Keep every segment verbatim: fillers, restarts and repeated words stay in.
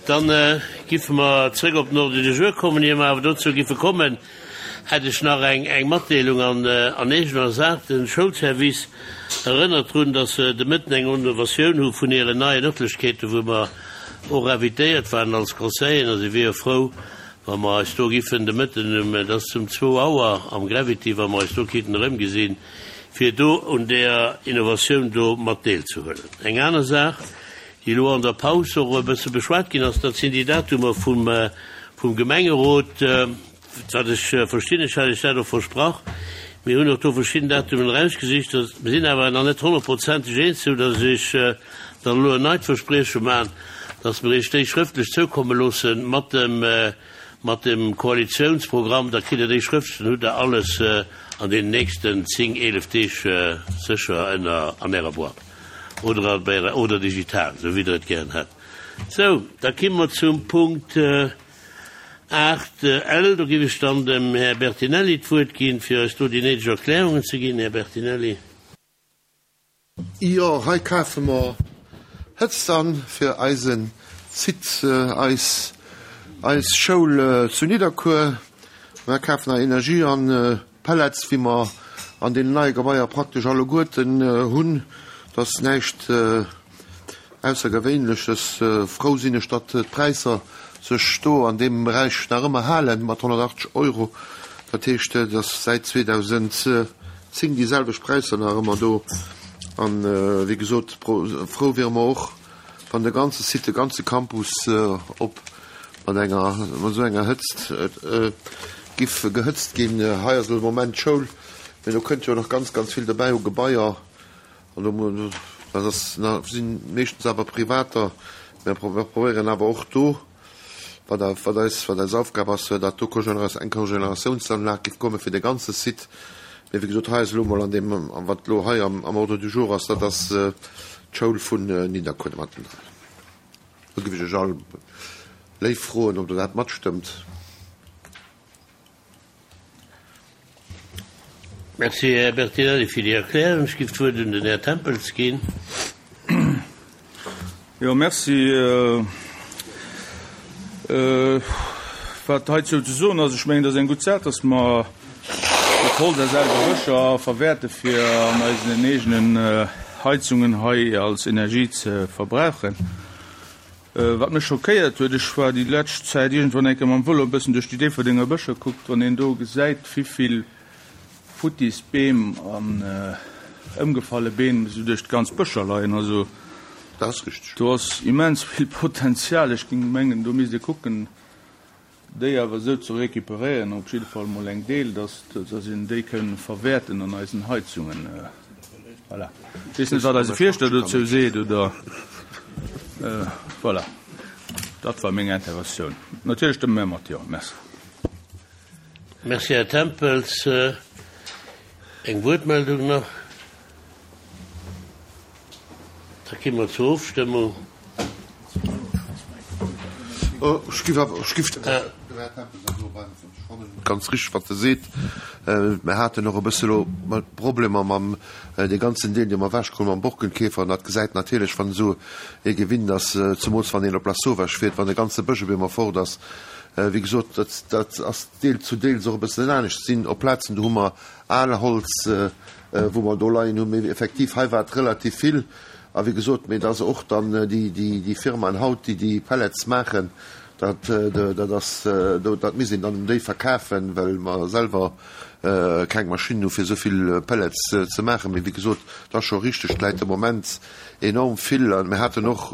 Dann giffe mer zréck op den Ordre du jour kommen. Ier mer awer dozou giffe kommen, hätt ech nach eng eng Matdeelung an an eegener Saach. De Schoulservice erënnert drun, dass se de Mëtten eng Innovatioun hu vun hiren neien Ërtlechkeeten, wou mer och invitéiert waren als Conseilleren, a si wiere frou, wa mer eis do giffen de Mëtten um, et ass um zwou Auer am Gravity, wa mer eis do kéinten erëmgesinn, fir do un där Innovatioun do mat deelzehuelen. Eng aner Saach, déi elo an der Paus och e bësse beschwat ginn ass, dat sinn déi Datumer vum, vum Gemengerot. Wat ech verstinn, ech hat Iech dat och versprach, mir hunn och do verschidden Datumen erausgesicht, mir sinn awer nach net honnertprozenteg eens, sou datt ech Iech dann elo en neit Versprieche maachen, datt mer Iech déi schrëftlech zoukomme loosse mat dem, mat dem Koalitionsprogramm. Da kritt Der déi schrëftlech, dann hutt Der alles an deenen nächsten zéng, eelef Deeg sécher ënner an Ärer Boîte oder bei Ärer, oder digital, sou wéi Der et gären hätt. Sou, da kimme mer zum Punkt aacht L. Do géif ech dann dem Här Bertinelli d'Wuert ginn, fir eis do déi néideg Erklärungen ze ginn. Här Bertinelli. Jo, hei kafe mer Hëtzt an fir eise Site, eis, eis Schoul zu Nidderkuer. Mer kafen hei Energie an, Pellets, wéi mer an deenen neie Gebaier praktesch alleguerten hunn. Dat ass näischt Aussergewéinleches. Frou sinn ech, datt d'Präisser sech do an deem Beräich nach ëmmer halen, mat honnertachtzeg Euro. Dat heescht, et ass säit zweedausendzéng déi selwecht Präisser nach ëmmer do. An, wéi gesot, frou wiere mer och, wann de ganze Site, de ganze Campus op mat enger, mat esou enger Hëtzt giff gehëtzt ginn. Hei ass elo de Moment d'Schoul, mee do kënnt jo nach ganz, ganz vill dobäi u Gebaier. An do, dat ass, si meeschtens awer Privater. Mir probéieren awer och do, wat wat eis, wat eis Aufgab ass, datt do eng Cogeneratiounsanlag giff komme fir de ganze Site. Mee wéi gesot, hei ass elo emol an deem, wat elo hei am Ordre du jour ass, dat ass d'Schoul vun Nidderkuer mattendran. Do géif ech Iech all léif froen, ob Der dat matstëmmt. Merci, Här Bertinelli, fir déi Erklärung. Ech géif d'Wuert un den Här Tempels ginn. Jo, merci. Wat heizou ze soen ass, ech mengen, et ass eng gutt Saach, dass mer dat Holz aus ale Bëscher verwäerte fir an eisen eegenen Heizungen hei als Energie ze verbrauchen. Wat mech schockéiert huet, ech war déi lescht Zäit iergendwann eng Kéier mam Vëlo e bëssen duerch déi Déifferdenger Bëscher, kuckt, wann een do gesäit, wivill futtis Beem an ëmgefalle Beem esou duerch d'ganz Bëscher leien. Also Dat ass richteg. do ass immens vill Potenzial. Ech géing mengen, do misst ee kucken, déi awer esou ze récupéréieren, op jidde Fall emol eng Deel, dass, dass een déi kënn verwäerten an eisen Heizungen. Voilà. Ech weess net, wat eise Fierschter dozou seet, oder? Voilà. Dat war meng Interventioun. Natierlech stëmme mär mat Jo. Merci. Merci, Här Tempels. Eng Wuertmeldung nach? Da gi mer zur Ofstëmmung. Ech giff awer, ech giff dem Här Tempels awer elo beim, ech fannen et ganz richteg, wat e seet. Mir haten och e bësse elo Problemer mam dee ganzen Deel, dee mer ewechgeholl mam Borkenkäfer. An dat gesäit natierlech, wann esou ee gewinnt ass, zemools wann een op Lasauvage fiert, wann e ganze Bësch op eemol fort ass. Wéi gesot, dat, dat ass deel zu deels och e bëssen anescht. Sinn op Plazen, do hu mer al Holz, wou mer do leien hunn, mee effektiv, hei war et relativ vill. A wéi gesot, mee et ass och dann déi, déi, déi Firmaen haut, déi déi Pellets maachen, dat, dat ass, dat misst een dann un déi verkafen, well mer selwer keng Maschinnen hu fir esou vill Pellets ze maachen. Mee wéi gesot, et ass scho richteg, et läit de Moment enorm vill. A mir haten och,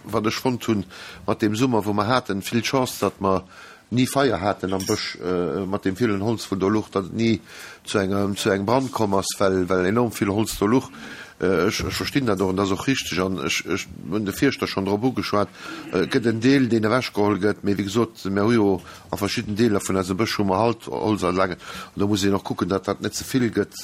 wat ech fonnt hunn, mat deem Summer, wou mer haten, vill Chance, datt mer ni Feier haten am Bësch mat deem villen Holz wou do luch, datt et ni zu engem zu engem Brand komm ass, well well enorm vill Holz do luch. Ech ech verstinn dat och an dat ass och richteg an ech ech hunn de Fierschter schonn drop ugeschwat. Et gëtt en Deel deen ewechgeholl gëtt, mee wéi gesot, mir hu jo a verschidden Deeler vun eisem Bësch hu mer halt Holzanlagen an do muss een och kucken, datt dat net ze vill gëtt,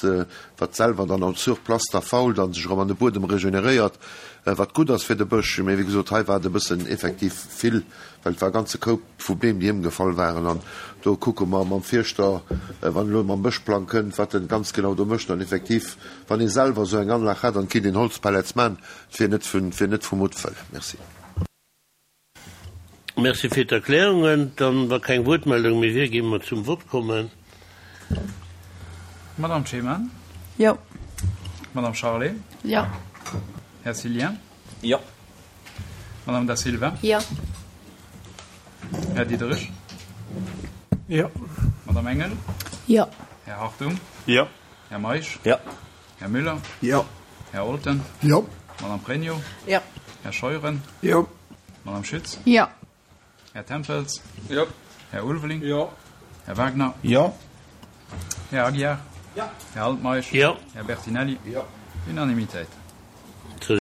wat selwer dann en sur place da fault a sech erëm an de Buedem regeneréiert, wat gutt ass fir de Bësch. Mee wéi gesot, hei war et e bëssen effektiv vill, well et war e ganze Koup vu Beem, déi ëmgefall waren. An do kucke mer mam Fierschter, wann elo mam Bëschplang kënnt, wat en ganz genau do mécht. An effektiv, wann ee selwer esou eng Anlag hätt an et kéint een Holzpellets maachen, et wier net vun, et wier net vu Muttwëll. Merci. Merci fir d'Erklärungen. Dann, wa keng Wuertmeldung méi wier, géinge mer zum Vott kommen. Madame Chéman? Jo. Madame Charlé? Jo. Här Cillien? Jo. Madame Da Silva? Jo. Här Diderich? Jo. Madame Engel? Jo. Här Hartung? Jo. Här Meisch? Jo. Här Müller? Jo. Här Olten? Jo. Madame Pregno? Jo. Här Scheuren? Jo. Madame Schütz? Jo. Här Tempels? Jo. Här Ulveling? Jo. Här Wagner? Jo. Här Aguiar? Jo. Här Altmeisch? Jo. Här Bertinelli? Jo. Unanimitéit.